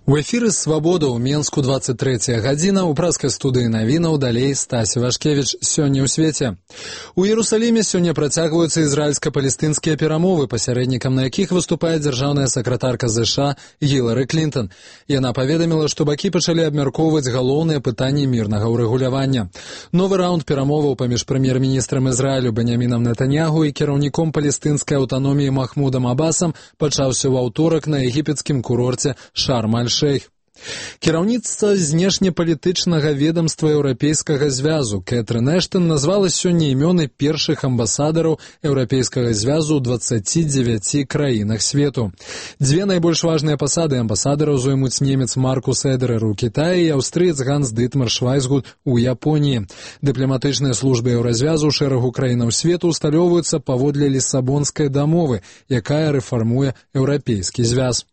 У эфіры «Свабода» ў Менску 23 гадзіна, у праскай студыі навінаў далей Стасі Вашкевіч. Сёння ў свеце. У Іерусаліме сёння працягваюцца ізраільска-палестынскія перамовы, пасярэднікам на якіх выступае дзяржаўная сакратарка ЗША Гілары Клінтон. Яна паведаміла, што бакі пачалі абмяркоўваць галоўныя пытанні мірнага ўрэгулявання. Новы раунд перамоваў паміж прэм'ер-міністрам Ізраілю Беньямінам Нетаньяху і кіраўніком палестынскай аўтаноміі Махмудам Абасам пачаўся ў аўторак на егіпецкім курорце Шарм-аль-Шейх. Кіраўніцтва знешнепалітычнага ведамства Еўрапейскага звязу Кэтрын Эштон назвала сёння імёны першых амбасадараў Еўрапейскага звязу ў 29 краінах свету. Дзве найбольш важныя пасады амбасадараў зоймуць немец Маркус Эдерер у Кітаі і аўстрыец Ганс Дытмар Швайцгут у Японіі. Дыпламатычныя службы Еўразвязу ў шэрагу краінаў свету усталёўваюцца паводле Лісабонскай дамовы, якая рэфармуе Еўрапейскі звяз.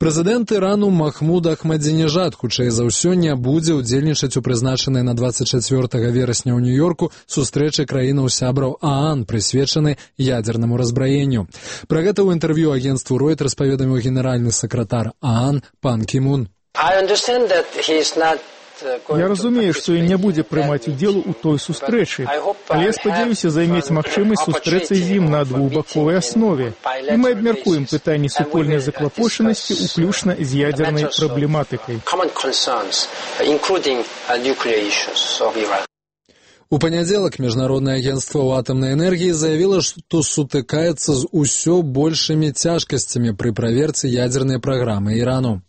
Прэзідэнт Ірану Махмуд Ахмадзінежад хутчэй за ўсё не будзе ўдзельнічаць у прызначанай на 24 верасня ў Нью-Йорку сустрэчы краінаў-сябраў ААН, прысвечанай ядзернаму разбраенню. Пра гэта ў інтэрв'ю агенцтву Reuters паведаміў генеральны сакратар ААН Пан Кі Мун. Я разумею, што ён не будзе прымаць удзел у той сустрэчы, але я спадзяюся займець магчымасць сустрэцца з ім на двухбаковай аснове. І мы абмяркуем пытанні супольнай заклапочанасці, уключна з ядзернай праблематыкай. У панядзелак Міжнароднае агенцтва ў атамнай энергіі заявіла, што сутыкаецца з усё большымі цяжкасцямі пры праверцы ядзернай праграмы Ірану.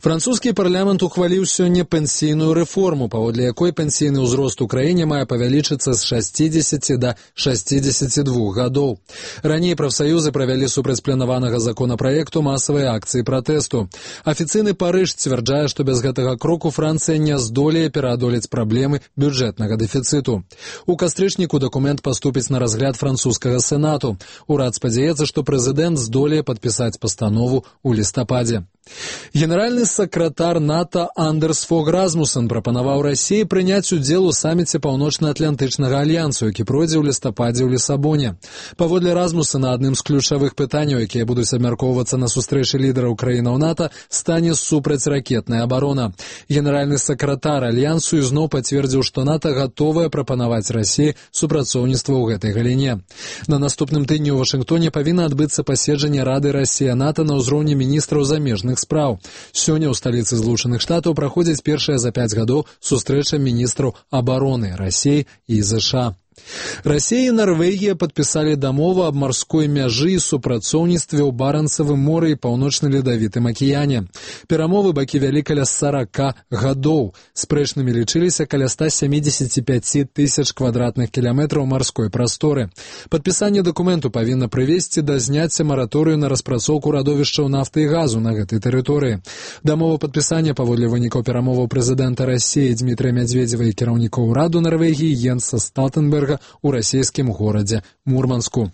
Французскі парламент ухваліў сёння пенсійную рэформу, паводле якой пенсійны ўзрост у краіне мае павялічыцца з 60 да 62 гадоў. Раней прафсаюзы правялі супрацьпланаванага законапраекту масавыя акцыі пратэсту. Афіцыйны Парыж сцвярджае, што без гэтага кроку Францыя не здолее пераадолець праблемы бюджэтнага дэфіцыту. У кастрычніку дакумент паступіць на разгляд французскага сенату. Урад спадзяецца, што прэзідэнт здолее падпісаць пастанову ў лістападзе. Генеральны сакратар НАТО Андерс Фог Расмуссен прапанаваў Расіі прыняць удзел у саміце Паўночна-Атлантычнага альянсу, які пройдзе ў лістападзе ў Лісабоне. Паводле Расмуссена адным з ключавых пытанняў, якія будуць абмяркоўвацца на сустрэчы лідараў краінаў НАТО, стане супрацьракетная абарона. Генеральны сакратар альянсу ізноў пацвердзіў, што НАТО гатовае прапанаваць Расіі супрацоўніцтва ў гэтай галіне. На наступным тыдні ў Вашынгтоне павінна адбыцца паседжанне Рады Расія-НАТО на ўзроўні міністраў замежных спраў. Сёння ў сталіцы Злучаных Штатаў праходзіць першая за 5 гадоў сустрэча міністраў абароны Расіі і ЗША. Расія і Нарвегія падпісалі дамову аб марской мяжы і супрацоўніцтве ў Барэнцавым моры і паўночна-ледавітым акіяне. Перамовы бакі вялі каля 40 гадоў. Спрэчнымі лічыліся каля 175 тысяч квадратных кіламетраў марской прасторы. Падпісанне дакументу павінна прывесці да зняцця мараторыю на распрацоўку радовішчаў нафты і газу на гэтай тэрыторыі. Дамова падпісання паводле вынікаў перамоваў прэзідэнта Расіі Дмітрыя Мядзведзева і кіраўнікоў ураду Нарвегіі Йенса Сталтэнберга у расійскім горадзе Мурманску.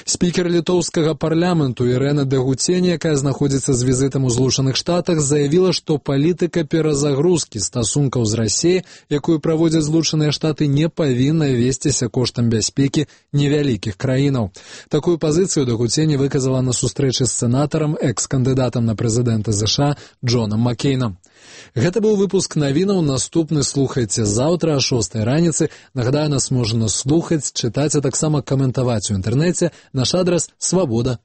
Спікер літоўскага парламенту Ірэна Дэгуцень, якая знаходзіцца з візітам у Злучаных Штатах, заявіла, што палітыка перазагрузкі стасункаў з Расіяй, якую праводзяць Злучаныя Штаты, не павінна весціся коштам бяспекі невялікіх краінаў. Такую пазіцыю Дэгуцень выказала на сустрэчы з сенатарам, экс-кандыдатам на прэзідэнта ЗША Джонам Маккейнам. Гэта быў выпуск навінаў. Наступны слухайце заўтра о 6 раніцы. Нагадаю, нас можна слухаць, чытаць, а таксама каментаваць у інтэрнэце. Наш адрас свабода.орг.